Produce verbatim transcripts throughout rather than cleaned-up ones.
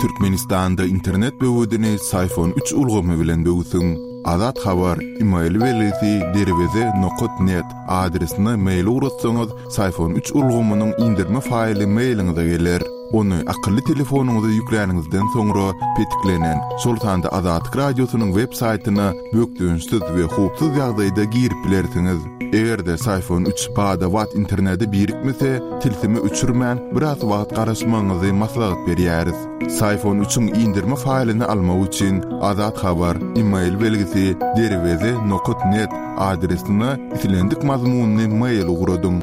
Türkmenistanda internet böwedini Syfon üç ulgamy bilen böwsüň. Azat Habar, e-mail belgisi derweze nokat net adresine mail ugratsaňyz, Syfon üç ulgamynyň indirme faýly mailiňize geler. Ony akylly telefonyňyza ýükläniňizden soňra petiklenen, şol sanda Azatlyk radiosynyň web saýtyna bökdençsiz we howpsuz ýagdaýda girip bilersiňiz. Eger-de Syfon üç bada-bat internete birikmese, tilsimi öçürmän biraz wagt garaşmagyňyzy maslahat berýäris. Syfon üçiň indirme faýlyny almak üçin Azat Habar, e-mail belgisi derweze nokat net adresine islendik mazmunyny mail ugradyň.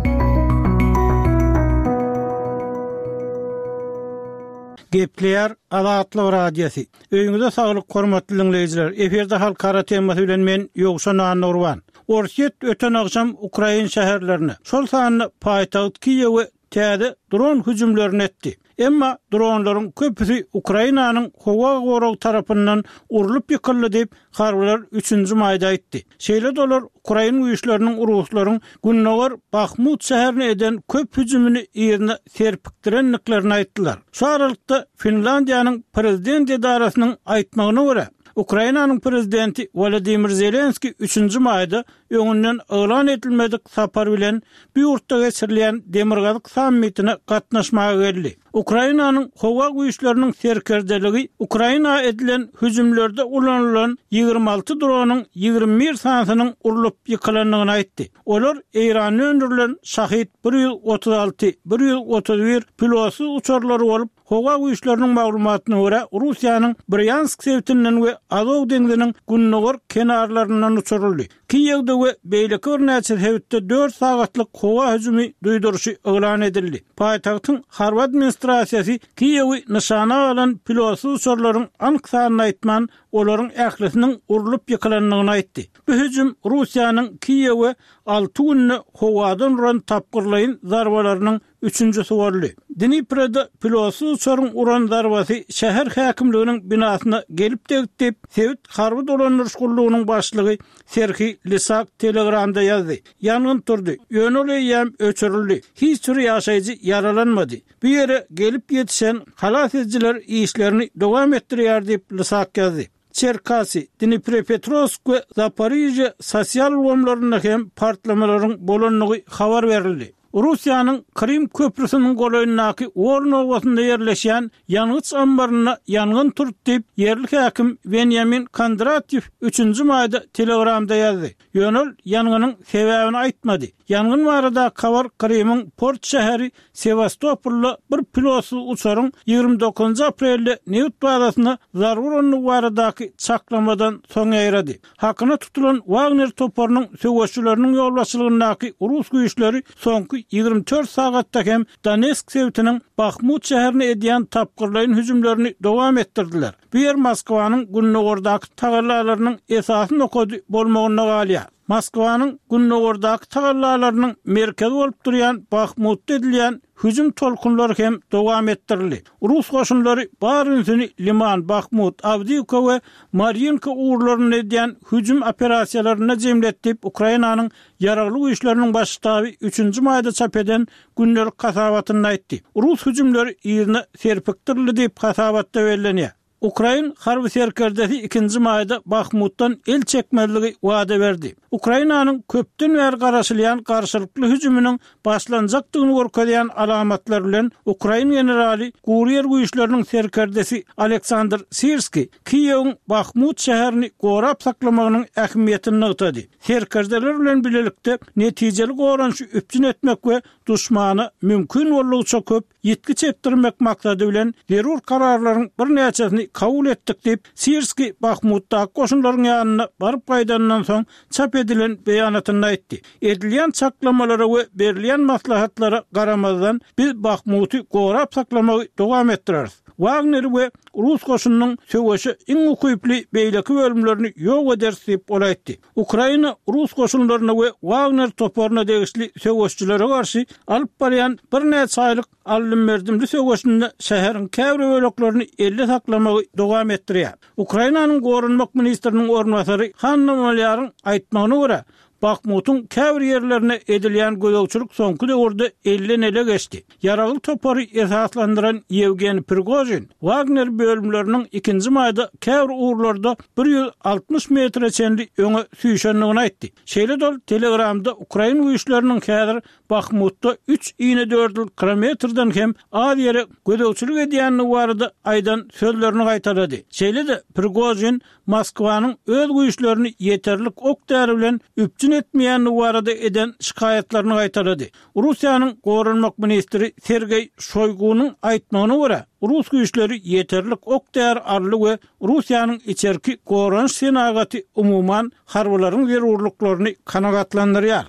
Gepleýär Azatlyk Radiosy. Öýüňize saglyk hormatly dinleýjiler. Efirde halkara temasy bilen men Ýowşan Annurban. Orsýet öten agşam Ukraina şäherlerine, şol sanda paýtagt Kiýewe täze dron hüjümlerini etdi. Emma dronlaryň köpüsi Ukrainanyň howa goragy tarapyndan urlup ýykyldy diýip, harbylar üçünji maýda aýtdy. Şeýle dolar Ukraina güýçleriniň Ruslaryň Gündogar Bahmut şäherine eden köp hüjümini ýerine serpikdirendiklerini aýtdylar. Şu aralykda Finlandiýanyň prezident edarasynyň aýtmagyna görä, Ukrainanyň prezidenti Wladimir Zelenski üçünji maýda öňünden yglan edilmedik sapar bilen bu ýurtda geçirilýän Demirgazyk sammitine gatnaşmaga geldi. Ukrainanyň howa güýçleriniň serkerdeligi Ukraina edilen hüjümlerde ulanylan ýigrimi alty dronyň ýigrimi bir sanysynyň urlup ýykylandygyny aýtdy. Olar Eýranda öndürilen Şahid bir ýüz otuz alty, bir ýüz otuz bir pilotsyz uçarlary bolup, howa güýçleriniň maglumatyna görä Russiýanyň Bryansk sebitinden we Azow deňziniň gündogar kenarlaryndan uçuryldy. Kiýewde we beýleki birnäçe sebitde dört sagatlyk howa hüjümi duýduryşy yglan edildi. Paýtagtyň harby administrasiýasy Kiýewi nyşana alan pilotsyz uçarlaryň anyk sanyny aýtman, olaryň ählisiniň urlup ýykylandygyny aýtdy. Bu hüjüm Russiýanyň Kiýewe alty günde howadan uran tapgyrlaýyn zarbalarynyň üçünjisi boldy. Dniproda pilotsyz uçaryň uran zarbasy şäher häkimliginiň binasyna gelip degdi diýip, sebit harby dolandyryş gullugynyň başlygy Serhiý Lisak Telegramda ýazdy. Ýangyn turdy, ýöne ol eýýäm öçürildi. Hiç bir ýaşaýjy ýaralanmady. Bu ýere gelip ýetişen halas ediciler işlerini dowam etdirýär diýip Lisak ýazdy. Çerkasy, Dnipropetrowsk we Zaporijye sosial ulgamlarynda hem partlamalaryň bolandygy habar berildi. Russiýanyň Krym köprüsiniň golaýyndaky Worn obasynda ýerleşýän ýangyç ambarynda ýangyn turdy diýip, ýerli häkim Benjamin Kondratyew üçünji maýda Telegramda ýazdy. Ýöne ol ýangynyň sebäbini aýtmady. Ýangyn barada habar Krymyň port şäheri Sewastopolda bir pilotsyz uçaryň ýigrimi dokuzynjy aprelde neft bazasyna zarba urandygy baradaky çaklamadan soň ýaýrady. Hakyna tutulan Wagner toparynyň söweşçileriniň ýolbaşçylygyndaky Rus güýçleri soňky ýigrimi dört sagatda hem Donetsk sebitiniň Bahmut şäherine edýän tapgyrlaýyn hüjümlerini dowam etdirdiler. Bu ýer Moskwanyň gündogardaky tagallalarynyň esasy nokady bolmagynda galýar. Moskwanyň gündogardaky tagallalarynyň merkezi bolup durýan Bahmutda edilýän hüjüm tolkunlary hem dowam etdirildi. Rus goşunlary bar ünsüni Liman, Bahmut, Awdiýewka we Maryinka ugurlarynda edýän hüjüm operasiýalarynda jemletdi diýip, Ukrainanyň ýaragly güýçleriniň baş ştaby üçünji maýda çap eden gündelik hasabatynda aýtdy. Rus hüjümleri ýerine serpikdirildi diýip hasabatda bellenýär. Ukrain harby serkerdesi ikinji maýda Bahmutdan el çekmezligi wada berdi. Ukrainanyň köpden bäri garaşylýan garşylykly hüjüminiň başlanjakdygyny görkezýän alamatlar bilen Ukrain generaly Gurýer güýçleriniň serkerdesi Aleksandr Sirski Kiýewiň Bahmut şäherini gorap saklamagynyň ähmiýetini nygtady. Serkerdeler bilen birlikde netijeli goranyşy üpjün etmek we duşmana mümkin boldugyça köp ýitgi çekdirmek maksady bilen zerur kararlaryň birnäçesini kabul etdik diýip, Sirski Bahmutdaky goşunlaryň ýanyna baryp gaýdandan soň çap edilen beýanatynda aýtdy. Edilýän çaklamalara we berilýän maslahatlara garamazdan biz Bahmuty gorap saklamagy dowam etdireris. Wagner we Rus goşunynyň söweşe iň ukyply beýleki bölümlerini ýok ederis diýip ol aýtdy. Ukraina Rus goşunlaryna we Wagner toparyna degişli söweşçilere garşy alyp barýan birnäçe aýlyk aldym-berdimli söweşinde şäheriň käbir böleklerini elde saklamagy dowam etdirýär. Ukrainanyň goranmak ministriniň orunbasary Hanna Malýaryň aýtmagyna görä, Bahmutyň käbir ýerlerine edilýän gözegçilik soňky döwürde elden-ele geçdi. Ýaragly topary esaslandyran Ýewgeniý Prigožin Wagner bölümleriniň ikinji maýda käbir ugurlarda bir ýüz altmyş metre çenli öňe süýşendigini aýtdy. Şeýle-de ol Telegramda ukrain güýçleriniň häzir Bahmutda üç inedördül kilometrden hem az ýere gözegçilik edýändigi barada aýdan sözlerini gaýtalady. Şeýle-de Prigožin Moskwanyň öz güýçlerini ýeterlik ok-däri bilen üpjün etmeýändigi barada eden şikaýatlaryny gaýtalady. Russiýanyň goranmak ministri Sergeý Şoýgunyň aýtmagyna görä, rus güýçleri ýeterlik ok-däri aldy we Russiýanyň içerki goranyş senagaty umuman harbylaryň zerurlyklaryny kanagatlandyrýar.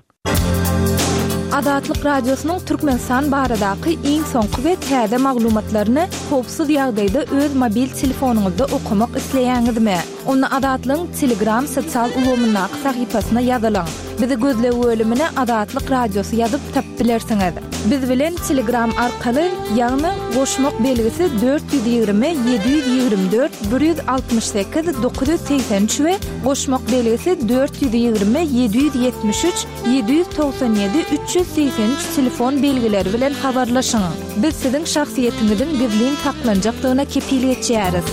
Azatlyk Radiosynyň Türkmenistan baradaky iň soňky we täze maglumatlaryny howpsuz ýagdaýda öz mobil telefonyňyzda okamak isleýäňizmi? Onda Azatlygyň Telegram sosial ulgamyndaky sahypasyna ýazylyň. Bizi gözleg bölümine Azatlyk Radiosy ýazyp tapyp bilersiňiz. Biz bilen Telegram arkaly, ýagny goşmak belgisi dört ýüz ýigrimi ýedi ýüz ýigrimi dört bir ýüz altmyş sekiz dokuz ýüz segsen üç we goşmak belgisi dört ýüz ýigrimi ýedi ýüz ýetmiş üç ýedi ýüz togsan ýedi üç ýüz segsen üç telefon belgileri bilen habarlaşyň. Biz siziň şahsyýetiňiziň gizlin saklanjakdygyna kepil geçýäris.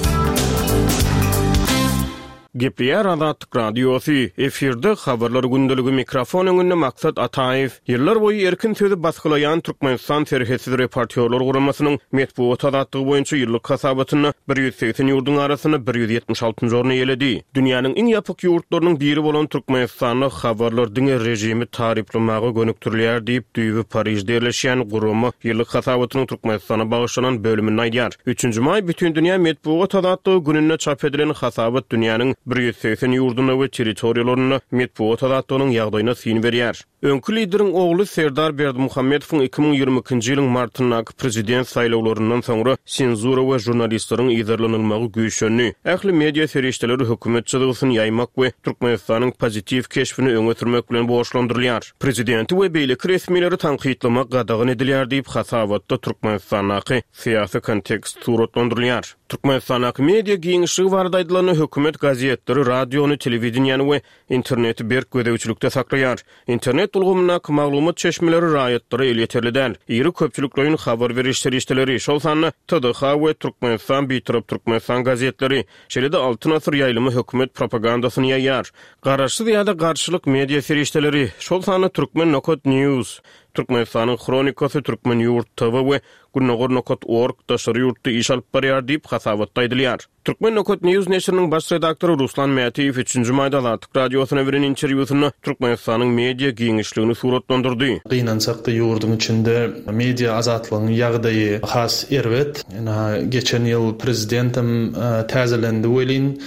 Gepleýär Azatlyk Radiosy, efirde habarlar gündeligi, mikrofon öňünde Maksat Ataýew. Ýyllar boýy erkin sözi basgylaýan Türkmenistan Serhetsiz reportýorlar guramasynyň metbugat azatlygy boýunça ýyllyk hasabatynda bir ýüz segsen ýurduň arasynda bir ýüz ýetmiş altynjy orny eýeledi. Dünýäniň iň ýapyk ýurtlarynyň biri bolan Türkmenistanda habarlar diňe režimi taryplamaga gönükdirilýär diýip, düýbi Parižde ýerleşýän gurama ýyllyk hasabatynyň Türkmenistana bagyşlanan bölüminde aýdýar. Üçünji maý Bütindünýä metbugat azatlygy gününde çap edilen hasabat dünýäniň bir ýüz segsen ýurdunda we territoriýalarynda metbugat azatlygynyň ýagdaýyna syn berýär. Öňki lideriň ogly Serdar Berdimuhamedowyň iki müň ýigrimi ikinji ýylyň martyndaky prezident saýlawlaryndan soňra senzura we žurnalistleriň yzarlanylmagy güýçlendi. Ähli media serişdeleri hökümet çyzgysyny ýaýmak we Türkmenistanyň pozitiw keşbini öňe sürmek bilen borçlandyrylýar. Prezidenti we beýleki resmileri tankytlamak gadagan edilýär diýip, hasabatda Türkmenistandaky syýasy kontekst suratlandyrylýar. Türkmenistandaky media giňişligi barada aýdylanda, hökümet gazetleri, radiony, telewideniýäni we interneti berk gözegçilikde saklaýar. Internet ulgamyndaky maglumat çeşmeleri raýatlara elýeterli däl. Iri köpçülikleýin habar beriş serişdeleri, şol sanda T D H we Türkmenistan Bitarap Türkmenistan gazetleri, şeýle-de Altyn asyr ýaýlymy hökümet propagandasyny ýaýýar. Garaşsyz ýa-da garşylyk media serişdeleri, şol sanda Türkmen nokat News, Türkmenistanyň Hronikasy, Türkmen ýurt T V we Gündogar nokat org daşary ýurtda iş alyp barýar diýip hasabatda aýdylýar. Türkmen nokat News neşiriniň baş redaktory Ruslan Mätiýew üçünji maýda Azatlyk Radiosyna beren interwýusynda Türkmenistanyň media giňişligini suratlandyrdy. Gynansak-da ýurduň içinde media azatlygyň ýagdaýy has erbet. Ina geçen ýyl prezidentem, e, täzelendi welin,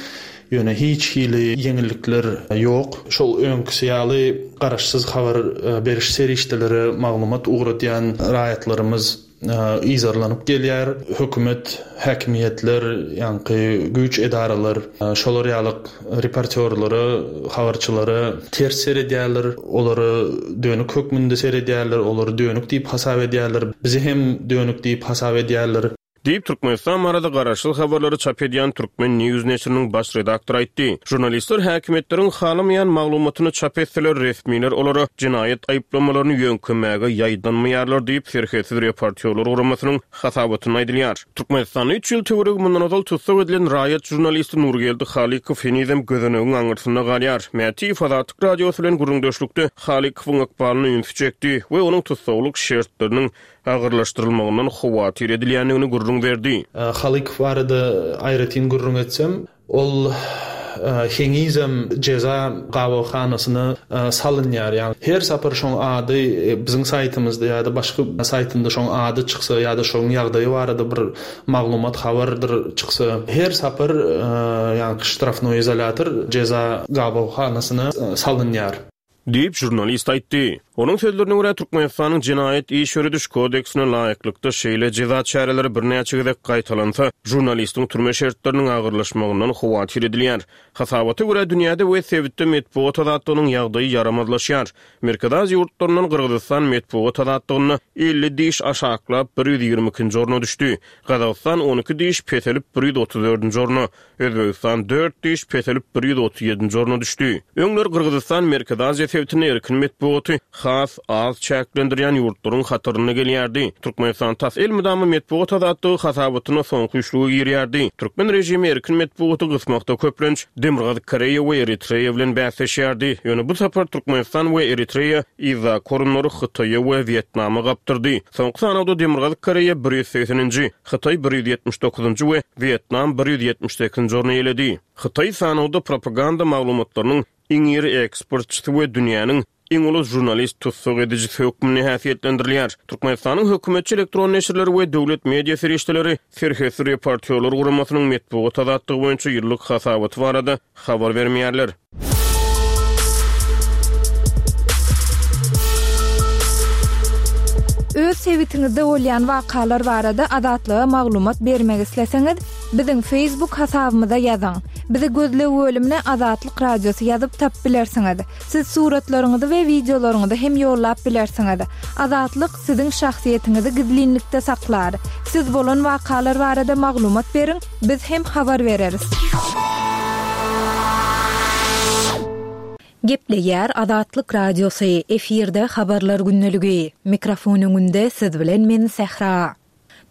ýöne hiç hili ýeňillikler ýok. Şol öňküsi ýaly garaşsyz habar, e, beriş serişdeleri maglumat ugradýan raýatlarymyz, e, yzarlanyp gelýär. Hökümet, häkimiýetler, ýaňky güýç edaralar, e, şolar ýaly reportýorlara, habarçylara ters seredýärler, olara dönük hökmünde seredýärler, olary dönük diýip hasap edýärler. Bizi hem dönük diýip hasap edýärler. Diýip Türkmenistan barada garaşsyz habarlary çap edýän Türkmen News neşiriniň baş redaktory aýtdy. Žurnalistler häkimiýetleriň halamaýan maglumatyny çap etseler, resmiler olara jenaýat aýyplamalaryny ýöňkemäge ýaýdanmaýarlar diýip Serhetsiz reportýorlar guramasynyň hasabatynda aýdylýar. Türkmenistanda üç ýyl töweregi mundan ozal tussag edilen raýat žurnalisti Nurgeldi Halykow henizem gözenegiň aňyrsynda galýar. Mätiýew Azatlyk Radiosy bilen gürrüňdeşlikde Halykowyň ykbalyny ünsi çekdi we onuň tussaglyk şertleriniň agyrlaşdyrylmagyndan howatyr edilýändigini gürrüň berdi. E, Halykow barada aýratyn gürrüň etsem, ol, e, henizem jeza gabawhanasyna, e, salynýar. Ýagny her sapar şoň ady, e, biziň saýtymyzda ýa-da başga saýtynda şoň ady çyksa ýa-da şoň ýagdaýy barada bir maglumat habardyr çyksa, her sapar, e, ýagny ştrafnoý izolyator jeza gabawhanasyna, e, salynýar. Diýip žurnalist aýtdy. Onuň sözlerine görä, Türkmenistanyň Jenaýat iş ýörediş kodeksine laýyklykda şeýle jeza çäreleri birnäçe gezek gaýtalansa, žurnalistiň türme şertleriniň agyrlaşmagyndan howatyr edilýär. Hasabata görä, dünýäde we sebitde metbugat azatlygynyň ýagdaýy ýaramazlaşýar. Merkezi Aziýa ýurtlaryndan Gyrgyzystan metbugat azatlygynda elli diş aşaklap bir ýüz ýigrimi ikinji orna düşdi. Gazagystan on iki diş peselip bir ýüz otuz dördünji orna, Özbegistan dört diş peselip bir ýüz otuz ýedinji orna düşdi. Öňler Gyrgyzystan Merkezi Aziýa sebitinde erkin metbugaty has az çäklendirýän ýurtlaryň hatarynda gelýärdi. Türkmenistan tas elmydama metbugat azatlygy hasabatyna soňky üçlüge girýärdi. Türkmen režimi erkin metbugaty gysmakda köplenç Demirgazyk Koreýa we Eritreýa bilen bäsleşýärdi. Ýöne bu sapar Türkmenistan we Eritreýa yzdaky orunlary Hytaýa we Wýetnama gapdyrdy. Soňky sanawda Demirgazyk Koreýa bir ýüz segseninji, Hytaý bir ýüz ýetmiş dokuzynjy we Wýetnam bir ýüz ýetmiş sekizinji orny eýeledi. Hytaý sanawda propaganda maglumatlarynyň iň iri eksportçysy we dünýäniň iň uly žurnalist tussag edijisi hökmünde häsiýetlendirilýär. Türkmenistanyň hökümetçi elektron neşirleri we döwlet media serişdeleri Serhetsiz reportýorlar guramasynyň metbugat azatlygy boýunça ýyllyk hasabaty barada habar bermeýärler. Öz sebitiňizde bolýan wakalar barada Azatlyga maglumat bermek isleseňiz, biziň Facebook hasabymyza ýazyň. Bizi gözleg bölümine Azatlyk Radiosy ýazyp tap bilersiňiz. Siz suratlaryňyzy we wideolaryňyzy hem ýollap bilersiňiz. Azatlyk siziň şahsyýetiňizi gizlinlikde saklar. Siz bolan wakalar barada maglumat beriň, biz hem habar bereris. Gepleýär Azatlyk Radiosy, efirde habarlar gündeligi. Mikrofon öňünde siz bilen men Sähra.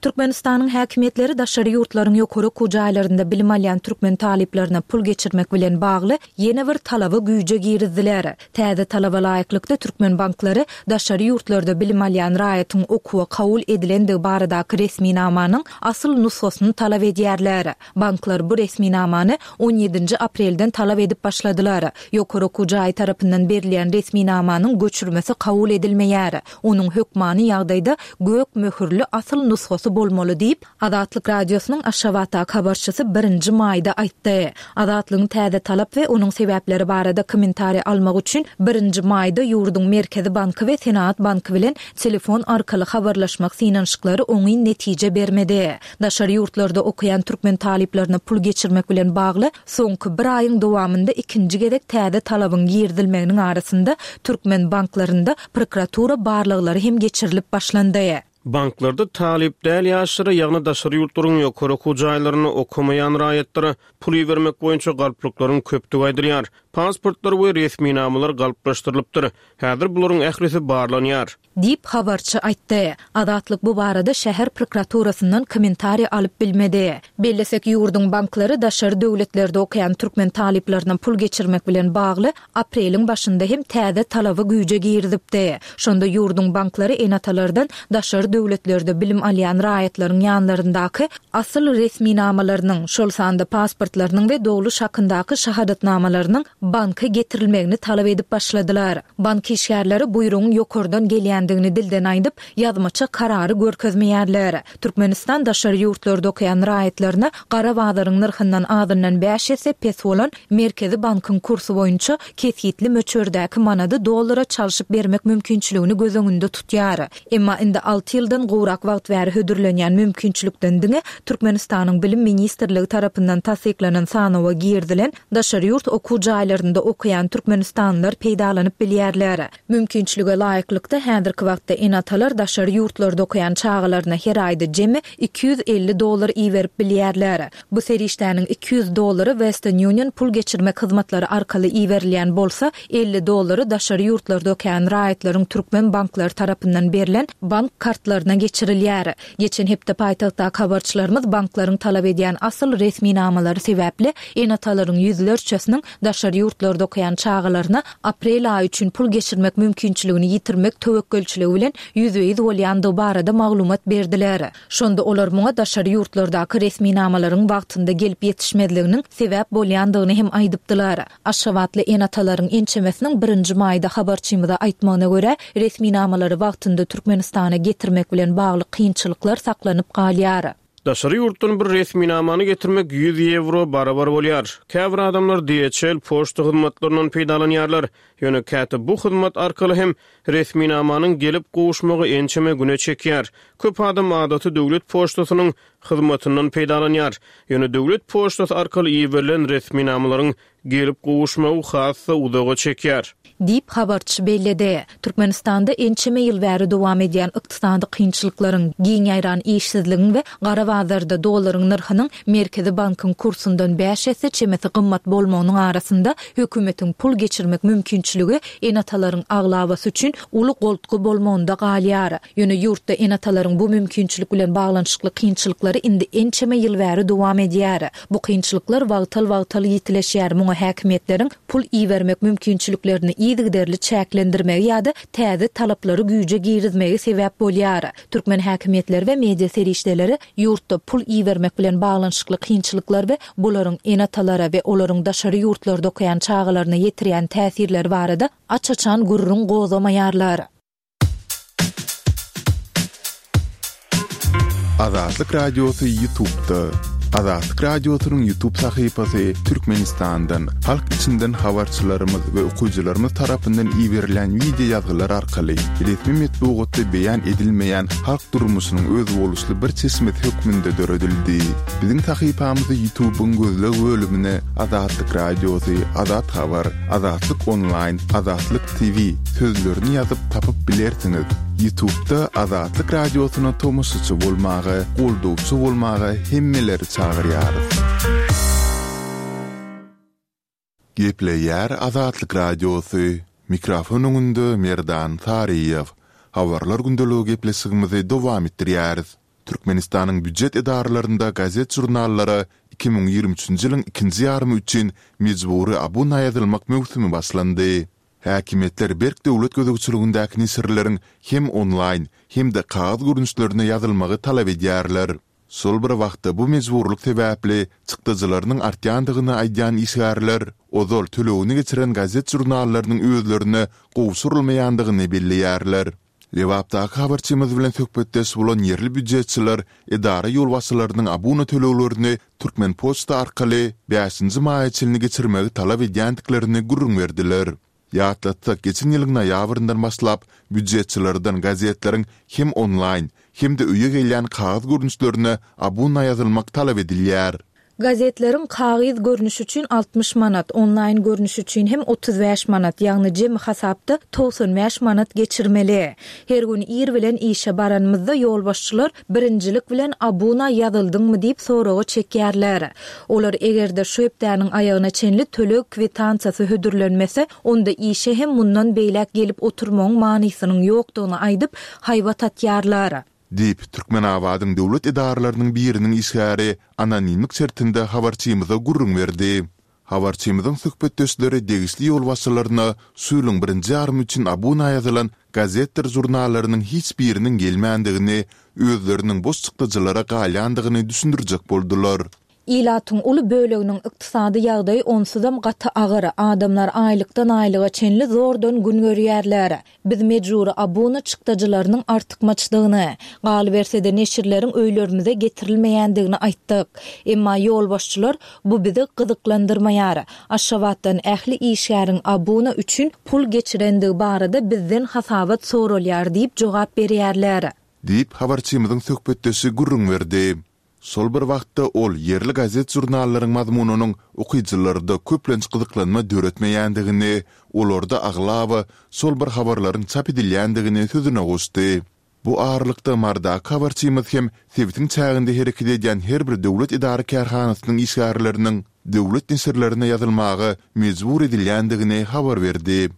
Türkmenistanyň häkimiýetleri daşary ýurtlaryň ýokary okuw jaýlarynda bilim alýan türkmen talyplaryna pul geçirmek bilen bagly ýene bir talaby güýje girizdiler. Täze talaba laýyklykda türkmen banklary daşary ýurtlarda bilim alýan raýatyň okuwa kabul edilendigi baradaky resminamanyň asyl nusgasyny talap edýärler. Banklar bu resminamany on ýedinji aprelden talap edip başladylar. Ýokary okuw jaýy tarapyndan berilýän resminamanyň göçürmesi kabul edilmeýär. Onuň hökmany ýagdaýda gök möhürli asyl nusgasy bolmaly diýip, Azatlyk Radiosynyň Aşgabatdaky habarçysy birinji maýda aýtdy. Azatlygyň täze talap we onuň sebäpleri barada kommentariý almak üçin birinji maýda ýurduň Merkezi banky we Senaat banky bilen telefon arkaly habarlaşmak synanyşyklary oňyn netije bermedi. Daşary ýurtlarda okaýan türkmen talyplaryna pul geçirmek bilen bagly soňky bir aýyň dowamynda ikinji gezek täze talabyň girizilmeginiň arasynda türkmen banklarynda prokuratura barlaglary hem geçirilip başlandy. Banklarda talyp däl ýaşlara, ýagny daşary ýurtlaryň ýokary okuw jaýlarynda okamaýan raýatlara pul bermek boýunça galplyklaryň köpdügi aýdylýar. Pasportlar we resminamalar galplaşdyrylypdyr. Häzir bularyň ählisi barlanýar. Diýip habarçy aýtdy. Azatlyk bu barada şäher prokuraturasyndan kommentariý alyp bilmedi. Bellesek ýurduň banklary daşary döwletlerde okaýan türkmen talyplaryna pul geçirmek bilen bagly apreliň başynda hem täze talaby güýje girizipdi. Şonda ýurduň banklary ene-atalardan daşary döwletlerde bilim alýan raýatlaryň ýanlaryndaky asyl resminamalarynyň, şol sanda pasportlarynyň we dogluş hakyndaky şahadatnamalarynyň banka getirilmegini talap edip başladylar. Bank işgärleri buýrugyň ýokardan gelýändigini dilden aýdyp, ýazmaça karary görkezmeýärler. Türkmenistan daşary ýurtlarda okaýan raýatlaryna gara bazaryň nyrhyndan azyndan bäş esse pes bolan Merkezi bankyň kursy boýunça kesgitli möçberdäki manady dollara çalşyp bermek mümkinçiligini göz öňünde tutýar. Emma indi alty ýyldan gowrak wagt bäri hödürlenýän mümkinçilikden diňe Türkmenistanyň Bilim Ministrligi tarapyndan tassyklanan sanawa girdilen daşary ýurt okuw jaýlarynda okaýan türkmenistanlylar peýdalanyp bilýärler. Mümkinçilige laýyklykda häzirki wagtda ene-atalar daşary ýurtlarda okaýan çagalaryna her aýda jemi iki ýüz elli dollar iberip bilýärler. Bu serişdäniň iki ýüz dollary Western Union pul geçirmek hyzmatlary arkaly iberilýän bolsa, elli dollary daşary ýurtlarda okaýan raýatlaryň türkmen banklary tarapyndan berlen bank kartlaryna geçirilýär. Geçen hepde paýtagtdaky habarçylarymyz banklaryň talap edýän asyl resminamalary sebäpli ene-atalaryň ýüzlerçesiniň daşary ýurtlarda okaýan çagalaryna aprel aýy üçin pul geçirmek mümkinçiligini ýitirmek töwekgelçiligi bilen ýüzbe-ýüz bolýandygy barada maglumat berdiler. Şonda olar muňa daşary ýurtlardaky resminamalaryň wagtynda gelip ýetişmezliginiň sebäp bolýandygyny hem aýdypdylar. Aşgabatly ene-atalaryň ençemesiniň birinji maýda habarçymyza aýtmagyna görä, resminamalary wagtynda Türkmenistana getirmek bilen bagly kynçylyklar saklanyp galýar. Daşary ýurtdan bir resminamany getirmek ýüz ýewro barabar bolýar. Käbir adamlar D H L poçta hyzmatlaryndan peýdalanýarlar. Ýöne käte bu hyzmat arkaly hem resminamanyň gelip gowuşmagy ençeme güne çekýär. Köp adam adaty döwlet poçtasynyň hyzmatyndan peýdalanýar. Ýöne döwlet poçtasy arkaly iberilen resminamalaryň gelip gowuşmagy has-da uzaga çekýär. Diýip, habarçy belledi. Türkmenistanda ençeme ýyl bäri dowam edýän ykdysady kynçylyklaryň, giň ýaýran işsizligiň we gara bazarda dollaryň nyrhynyň Merkezi bankyň kursundan bäş esse çemesi gymmat bolmagynyň arasynda hökümetiň pul geçirmek mümkinçiligi ene-atalaryň aglabasy üçin uly goltgy bolmagynda galýar. Ýöne ýurtda ene-atalaryň bu mümkinçilik bilen baglanyşykly kynçylyklary indi ençeme ýyl bäri dowam edýär. Bu kynçylyklar wagtal-wagtal ýitileşýär, muňa häkimiýetleriň pul ibermek mümkinçiliklerini yzygiderli çäklendirmegi ýa-da täze talaplary güýje girizmegi sebäp bolýar. Türkmen häkimiýetleri we media serişdeleri ýurtda pul ibermek bilen baglanyşykly kynçylyklar we bularyň ene-atalara we olaryň daşary ýurtlarda okaýan çagalaryna ýetirýän täsirleri barada aç-açan gürrüň gozgamaýarlar. Azatlyk Radiosy YouTube'da. Azatlyk Radiosynyň YouTube sahypasy Türkmenistandan, halk içinden habarçylarymyz we okyjylarymyz tarapyndan iberilen wideo ýazgylar arkaly resmi metbugatda beýan edilmeýän halk durmuşynyň özboluşly bir çeşmesi hökmünde döredildi. Biziň sahypamyzy YouTube'yň gözleg bölümine Azatlyk Radiosy, Azat Habar, Azatlyk Onlaýn, Azatlyk T V sözlerini ýazyp tapyp bilersiňiz. YouTube'da Azatlyk Radiosyna tomaşaçy bolmaga, goldawçy bolmaga hemmeleri çagyrýarys. Gepleýär Azatlyk Radiosy. Mikrofon öňünde Merdan Saryýew. Habarlar gündeligi gepleşigimizi dowam etdirýäris. Türkmenistanyň býujet edaralarynda gazet-žurnallara iki müň ýigrimi üçünji ýylyň ikinji ýarymy üçin mejbury abuna ýazylmak möwsümi başlandy. Häkimiýetler berk döwlet gözegçiligindäki neşirleriň hem onlaýn hem-de kagyz görnüşlerine ýazylmagy talap edýärler. Şol bir wagtda bu mejburlyk sebäpli çykdajylarynyň artýandygyny aýdýan işgärler ozal tölegini geçiren gazet-žurnallarynyň özlerine gowşurylmaýandygyny belleýärler. Lebapdaky habarçymyz bilen söhbetdeş bolan ýerli býujetçiler edara ýolbaşçylarynyň abuna töleglerini Türkmenpoçta arkaly bäşinji maýa çenli geçirmegi talap edýändiklerini gürrüň berdiler. Ýatlatsak, geçen ýylyň noýabryndan başlap býujetçilerden gazetleriň hem onlaýn hem-de öýe gelýän kagyz görnüşlerine abuna ýazylmak talap edilýär. Gazetleriň kagyz görnüşi üçin altmyş manat, onlaýn görnüşi üçin hem otuz bäş manat, ýagny jemi hasapda togsan bäş manat geçirmeli. Her gün ir bilen işe baranymyzda ýolbaşçylar birinjilik bilen abuna ýazyldyňmy diýip soraga çekýärler. Olar eger-de şu hepdäniň aýagyna çenli töleg kwitansiýasy hödürlenmese, onda işe hem mundan beýläk gelip oturmagyň manysynyň ýokdugyny aýdyp haýbat atýarlar. Diýip, Türkmenabadyň döwlet edaralarynyň biriniň işgäri anonimlik şertinde habarçymyza gürrüň berdi. Habarçymyzyň söhbetdeşleri degişli ýolbaşçylaryna şu ýylyň birinji ýarymy üçin abuna ýazylan gazetdir žurnallarynyň hiç biriniň gelmändigini, özleriniň boş çykdajylara galýandygyny düşündirjek boldular. Ilatyň uly böleginiň ykdysady ýagdaýy onsuzam gaty agyr, adamlar aýlykdan aýlyga çenli zordan gün görýärler. Biz mejbury abuna çykdajylarynyň artykmaçdygyny, galyberse-de neşirleriň öýlerimize getirilmeýändigini aýtdyk. Emma ýolbaşçylar bu bizi gyzyklandyrmaýar. Aşgabatdan ähli işgäriň abuna üçin pul geçirendigi barada bizden hasabat soralýar diýip jogap berýärler. Diýip habarçymyzyň söhbetdeşi gürrüň berdi. Şol bir wagtda ol ýerli gazet-žurnallaryň mazmunynyň okyjylarda köplenç gyzyklanma döretmeýändigini, olarda aglaba şol bir habarlaryň çap edilýändigini sözüne goşdy. Bu aralykda Mardaky habarçymyz hem sebitiň çäginde hereket edýän her bir döwlet edara kärhanasynyň işgärleriniň döwlet neşirlerine ýazylmaga mejbur edilýändigini habar berdi.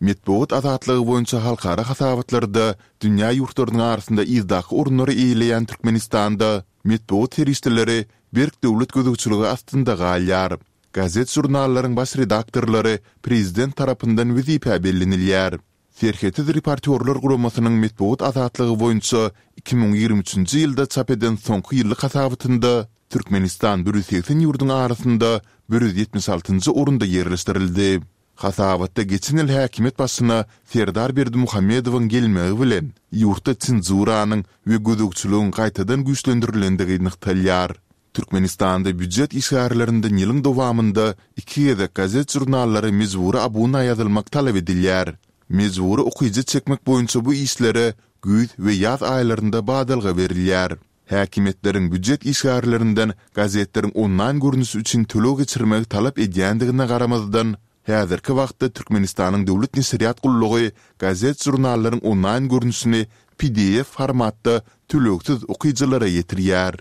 Metbugat azatlygy boýunça halkara hasabatlarda dünýä ýurtlarynyň arasynda yzdaky orunlary eýeleýän Türkmenistanda metbugat serişdeleri berk döwlet gözegçiligi astynda galýar. Gazet-žurnallaryň baş redaktorlary prezident tarapyndan wezipä bellenilýär. Serhetsiz reportýorlar guramasynyň metbugat azatlygy boýunça iki müň ýigrimi üçünji ýylda çap eden soňky ýyllyk hasabatynda Türkmenistan bir ýüz segsen ýurduň arasynda bir ýüz ýetmiş altynjy orunda ýerleşdirildi. Hasabatda geçen ýyl häkimiýet başyna Serdar Berdimuhamedowyň gelmegi bilen, ýurtda senzuranyň we gözegçiligiň gaýtadan güýçlendirilendigi nygtalýar. Türkmenistanda býujet işgärlerinden ýylyň dowamynda iki gezek gazet-žurnallara mejbury abuna ýazylmak talap edilýär. Mejbury okyjy çekmek boýunça bu işlere güýz we ýaz aýlarynda badalga berilýär. Häkimiýetleriň býujet işgärlerinden gazetleriň onlaýn görnüşi üçin töleg geçirmegi talap edýändigine garamazdan, häzirki wagtda Türkmenistanyň Döwlet neşirýat gullugy gazet-žurnallaryň onlaýn görnüşini P D F formatda tölegsiz okyjylara ýetirýär.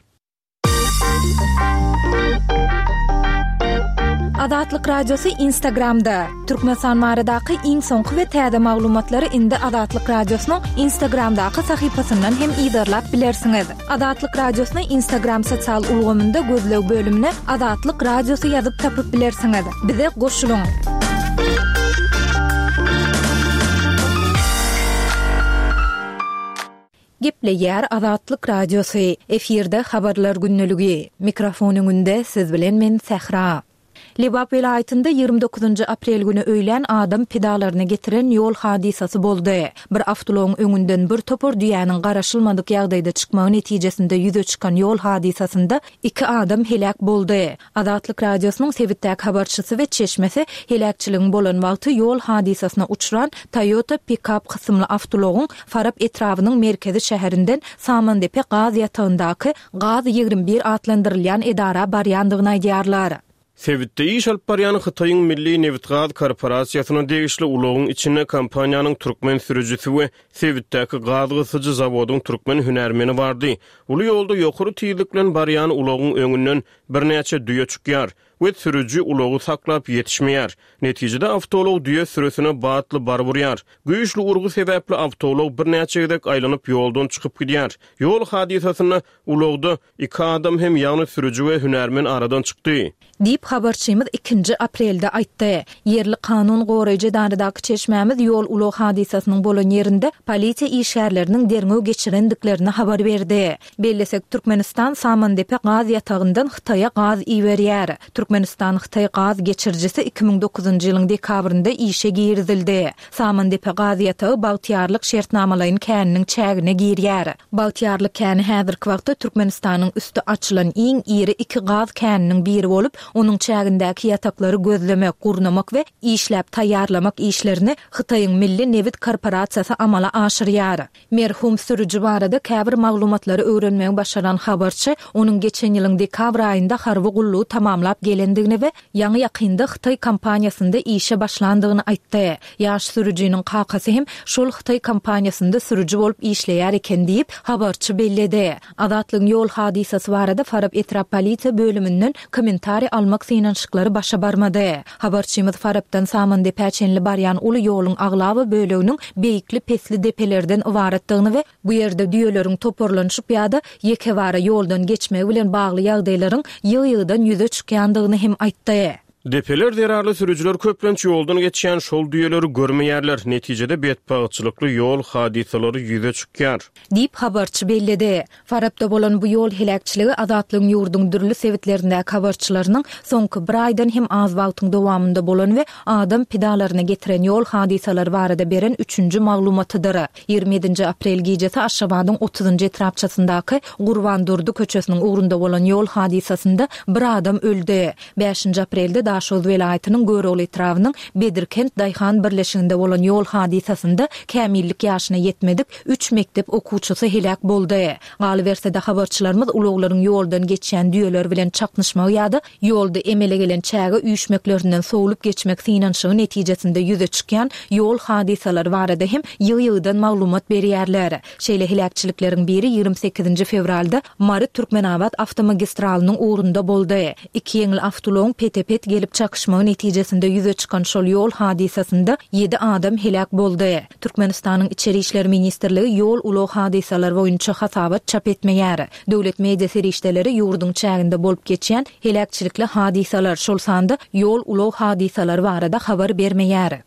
Azatlyk Radiosy Instagramda. Türkmenistan baradaky iň soňky we täze maglumatlary indi Azatlyk Radiosynyň Instagramdaky sahypasyndan hem yzarlap bilersiňiz. Azatlyk Radiosyny Instagram sosial ulgamynda gözleg bölümine Azatlyk Radiosy ýazyp tapyp bilersiňiz. Bize goşulyň. Gepleýär Azatlyk Radiosy. Efirde habarlar gündeligi. Mikrofon öňünde siz bilen men Sähra. Lebap welaýatynda ýigrimi dokuzynjy aprel güni öýlän adam pidalaryny getiren ýol hadysasy boldy. Bir awtoulagyň öňünden bir topar düýäniň garaşylmadyk ýagdaýda çykmagy netijesinde ýüze çykan ýol hadysasynda iki adam heläk boldy. Azatlyk Radiosynyň sebitdäki habarçysy we çeşmesi heläkçiligiň bolan wagty ýol hadysasyna uçran Toyota pikap kysymly awtoulagyň Farap etrabynyň merkezi şäherinden Samandepe gaz ýatagyndaky Gaz ýigrimi bir atlandyrylýan edara barýandygyny aýdýarlar. Sebitde iş alyp barýan Hytaýyň Milli nebitgaz korporasiýasyna degişli ulagyň içinde kompaniýanyň türkmen sürüjisi we sebitdäki gaz gysyjy zawodyň türkmen hünärmeni bardy. Uly ýolda ýokary tizlik bilen barýan ulagyň öňünden birnäçe düýe çykýar we sürüji ulagy saklap ýetişmeýär. Netijede awtoulag düýe sürüsine batly baryp urýar. Güýçli urgy sebäpli awtoulag birnäçe gezek aýlanyp ýoldan çykyp gidýär. Ýol hadysasynda ulagda iki adam hem, ýagny sürüji we hünärmen aradan çykdy. Diýip, habarçymyz ikinji aprelde aýtdy. Ýerli kanun goraýjy edaradaky çeşmämiz ýol-ulag hadysasynyň bolan ýerinde polisiýa işgärleriniň derňew geçirendiklerini habar berdi. Bellesek, Türkmenistan Samandepe gaz ýatagyndan Hytaýa gaz iberýär. Türkmenistan-Hytaý gaz geçirijisi iki müň dokuzynjy ýylyň dekabrynda işe girizildi. Samandepe gaz ýatagy Bagtyýarlyk şertnamalaýyn käniniň çägine girýär. Bagtyýarlyk käni häzirki wagtda Türkmenistanyň üsti açylan iň iri iki gaz käniniň biri bolup, onuň çägindäki ýataklary gözlemek, gurnamak we işläp taýýarlamak işlerini Hytaýyň Milli nebit korporasiýasy amala aşyrýar. Merhum sürüji barada käbir maglumatlary öwrenmegi başaran habarçy, onuň geçen ýylyň dekabr aýynda harby gullugy tamamlap gelendigini we ýaňy-ýakynda hytaý kompaniýasynda işe başlandygyny aýtdy. Ýaş sürüjiniň kakasy hem şol hytaý kompaniýasynda sürüji bolup işleýär eken diýip, habarçy belledi. Azatlygyň ýol hadysasy barada Farap etrap polisiýa bölüminden kommentariý almak synanyşyklary başa barmady. Habarçymyz Farapdan Samandepä çenli barýan uly ýoluň aglaba böleginiň beýikli-pesli depelerden ybaratdygyny we bu ýerde düýeleriň toparlanyşyp ýa-da ýekebara ýoldan geçmegi bilen bagly ýagdaýlaryň ýygy-ýygydan ýüze çykýandygyny hem aýtdy. Depeler zerarly sürüjiler köplenç ýoldan geçýän şol düýeleri görmeýärler, netijede betbagtçylykly ýol hadysalary ýüze çykýar. Diýip, habarçy belledi. Farapda bolan bu ýol heläkçiligi Azatlygyň ýurduň dürli sebitlerindäki habarçylarynyň soňky bir aýdan hem az wagtyň dowamynda bolan we adam pidalaryna getiren ýol hadysalary barada beren üçünji maglumatydyr. Ýigrimi ýedinji aprel gijesi Aşgabadyň otuzynjy etrapçasyndaky Gurban Durdy köçesiniň ugrunda bolan ýol hadysasynda bir adam öldi. Bäşinji aprelde Daşoguz welaýatynyň Görogly etrabynyň Bedirkent daýhan birleşiginde bolan ýol hadysasynda kämillik ýaşyna ýetmedik üç mekdep okuwçysy heläk boldy. Galyberse-de, habarçylarymyz ulaglaryň ýoldan geçýän düýeler bilen çaknyşmagy ýa-da ýolda emele gelen çäge üýşmeklerinden sowlup geçmek synanyşygy netijesinde ýüze çykýan ýol hadysalary barada hem ýygy-ýygydan maglumat berýärler. Şeýle heläkçilikleriň biri ýigrimi sekizinji fewralda Mary-Türkmenabat awtomagistralynyň ugrunda boldy. Iki ýeňil awtoulagyň pete-pet gelip çakyşmagy netijesinde ýüze çykan şol ýol hadysasynda ýedi adam heläk boldy. Türkmenistanyň Içeri işler ministrligi ýol-ulag hadysalary boýunça hasabat çap etmeýär. Döwlet media serişdeleri ýurduň çäginde bolup geçýän heläkçilikli hadysalar, şol sanda ýol-ulag hadysalary barada habar bermeýär.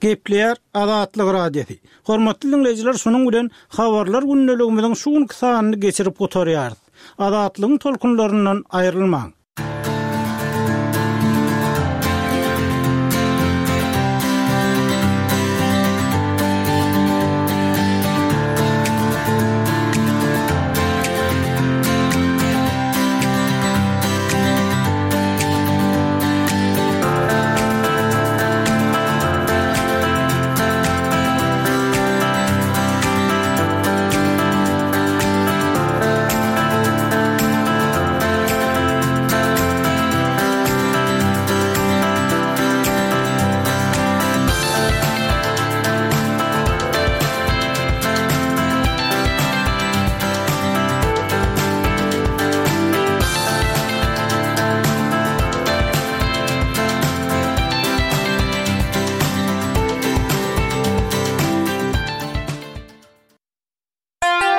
Gepleýär Azatlyk Radiosy. Hormatly diňleýjiler, şunuň bilen Habarlar gündeligimiziň şu günki sanyny geçirip gutarýarys. Azatlygyň tolkunlaryndan aýrylmaň!